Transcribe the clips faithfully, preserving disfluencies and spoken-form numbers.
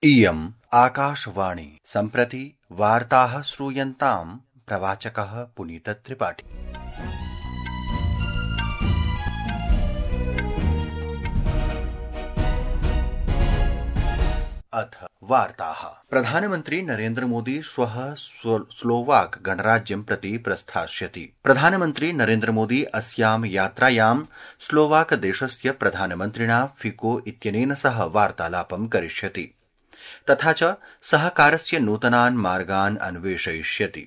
इयम् आकाशवाणी सम्प्रति वार्ताः श्रूयन्ताम् प्रवाचकः पुनीतत्रिपाठी। अथ वार्ताः। प्रधानमन्त्री नरेन्द्र मोदी श्वः स्लोवाक गणराज्यं प्रति प्रस्थास्यति। प्रधानमन्त्री नरेन्द्र मोदी अस्यां यात्रायां स्लोवाक देशस्य प्रधानमन्त्रिणा फिको इत्यनेन सह वार्तालापं करिष्यति। तथा च सहकारस्य नूतनान् मार्गान् अन्वेषयिष्यति।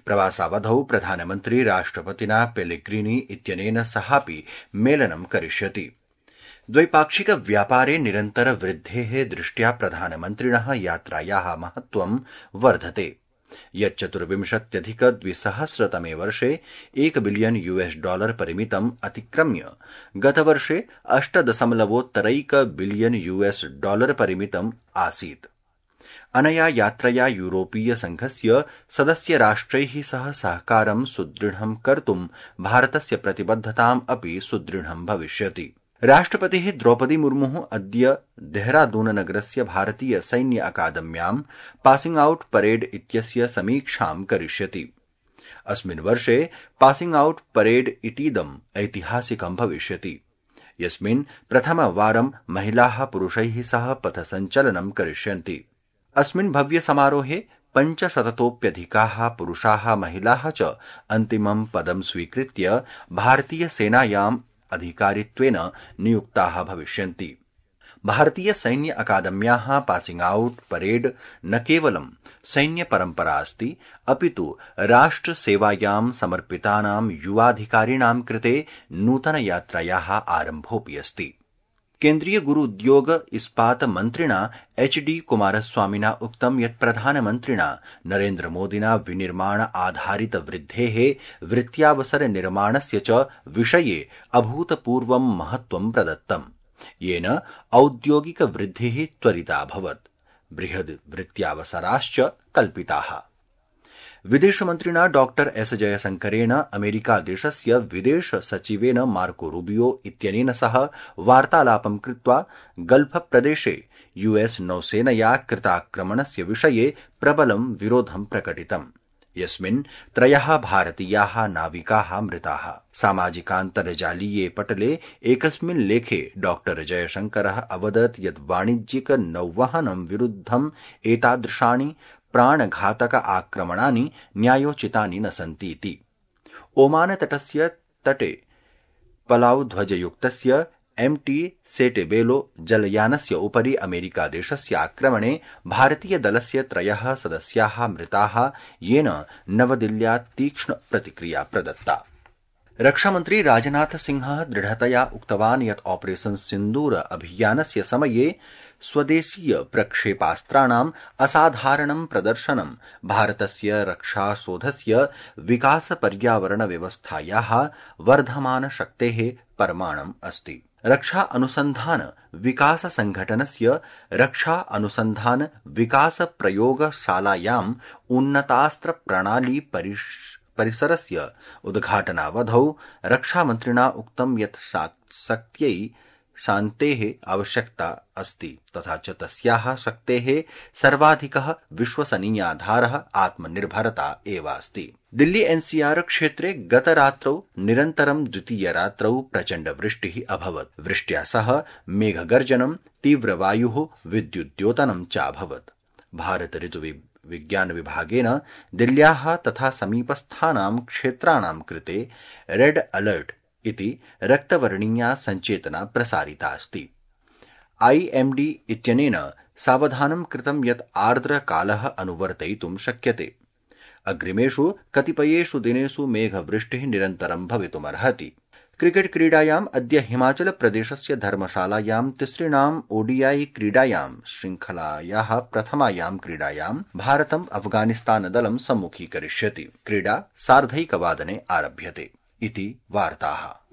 प्रवासावधौ प्रधानमन्त्री राष्ट्रपतिना पेलेग्रीनी इत्यनेन सहापि मेलनं करिष्यति। द्वैपाक्षिक व्यापारे निरन्तर वृद्धेः दृष्ट्या प्रधानमन्त्रिणः यात्रायाः महत्त्वं वर्धते। यच्चतुर्विंशत्यधिक द्विसहस्रतमे वर्षे एक बिलियन यूएस डॉलर परिमितम् अतिक्रम्य गतवर्षे अष्ट दशमलवोत्तरैक बिलियन यूएस डॉलर परिमितम् आसीत्। अनया यात्रया यूरोपीय संघस्य सदस्य राष्ट्रैः सह सहकारं सुदृढं कर्तुं भारतस्य प्रतिबद्धताम् अपि सुदृढं भविष्यति। राष्ट्रपतिः द्रौपदी मुर्मुः अद्य देहरादून नगरस्य भारतीय सैन्य अकादम्यां पासिंग आउट परेड इत्यस्य समीक्षां करिष्यति। अस्मिन् वर्षे पासिंग आउट परेड इतीदम् ऐतिहासिकं भविष्यति, यस्मिन् प्रथमवारं महिलाः पुरुषैः सह पथसञ्चलनं करिष्यन्ति। अस्मिन् भव्य समारोहे पञ्चशततोप्यधिकाः पुरुषाः महिलाः च अन्तिमं पदं स्वीकृत्य भारतीय सेनायाम् अधिकारित्वेन नियुक्ताः भविष्यन्ति। भारतीय सैन्य अकादम्याः पासिंग आउट परेड न केवलं सैन्य परम्परा अस्ति, अपितु राष्ट्रसेवायां समर्पितानां युवाधिकारिणां कृते नूतनयात्रायाः आरम्भोऽपि अस्ति। केन्द्रीय गुरु उद्योग इस्पात मन्त्रिणा एच डी कुमारस्वामिना उक्तं यत् प्रधानमन्त्रिणा नरेन्द्र मोदिना विनिर्माण आधारित वृद्धेः वृत्त्यावसर निर्माणस्य च विषये अभूतपूर्वं महत्त्वं प्रदत्तम्, येन औद्योगिक वृद्धिः त्वरिता अभवत्, बृहद् वृत्त्यावसराश्च कल्पिताः। विदेशमन्त्रिणा डॉक्टर एस जयशंकरेण अमेरिका देशस्य विदेश सचिवेन मार्को रूबियो इत्यनेन सह वार्तालापं कृत्वा गल्फ प्रदेशे यूएस नौसेनया कृताक्रमणस्य विषये प्रबलं विरोधं प्रकटितम्, यस्मिन् त्रयः भारतीयाः नाविकाः मृताः। सामाजिकान्तर्जालीये पटले एकस्मिन् लेखे डॉक्टर जयशंकरः अवदत् यत् वाणिज्यिक नौवहनं विरुद्धं एतादृशानि प्राणघातक आक्रमणानि न्यायोचितानि न सन्तीति। ओमान तटस्य तटे पलाउ ध्वजयुक्तस्य एम टी सेटेबेलो जलयानस्य उपरि अमेरिका देशस्य आक्रमणे भारतीय दलस्य त्रयः सदस्याः मृताः, येन नवदिल्ल्या तीक्ष्ण प्रतिक्रिया प्रदत्ता। रक्षामन्त्री राजनाथ सिंहः दृढतया उक्तवान् यत् ऑपरेशन सिन्दूर अभियानस्य समये स्वदेशीय प्रक्षेपास्त्राणाम् असाधारणं प्रदर्शनं भारतस्य रक्षासौधस्य विकास पर्यावरण व्यवस्थायाः वर्धमान शक्तेः प्रमाणम् अस्ति। रक्षा अनुसन्धान विकास संघटनस्य रक्षा अनुसन्धान विकास प्रयोगशालायाम् उन्नतास्त्र प्रणाली परिष परिसरस्य उद्घाटनावधौ रक्षामन्त्रिणा उक्तं यत् शक्त्यै शान्तेः आवश्यकता अस्ति, तथा च तस्याः शक्तेः सर्वाधिकः विश्वसनीयाधारः आत्मनिर्भरता एव अस्ति। दिल्ली एनसीआर क्षेत्रे गतरात्रौ निरन्तरं द्वितीयरात्रौ प्रचण्ड वृष्टिः अभवत्। वृष्ट्या सह मेघगर्जनं, तीव्रवायुः, विद्युद्योतनं च अभवत्। भारत ऋतु विज्ञान विभागेन दिल्ल्याः तथा समीपस्थानां क्षेत्राणां कृते रेड अलर्ट इति रक्तवर्णीया सञ्चेतना प्रसारिता अस्ति। आईएमडी इत्यनेन सावधानं कृतं यत् आर्द्रकालः अनुवर्तयितुं शक्यते। अग्रिमेषु कतिपयेषु दिनेषु मेघवृष्टिः निरन्तरं भवितुमर्हति। क्रिकेट क्रीडायाम् अद्य हिमाचल प्रदेशस्य धर्मशालायां तिसृणाम् ओडीआई क्रीडायां श्रृंखलायाः प्रथमायां क्रीडायां भारतम् अफगानिस्तान दलं सम्मुखीकरिष्यति। क्रीडा सार्धैकवादने आरभ्यते इति वार्ताः।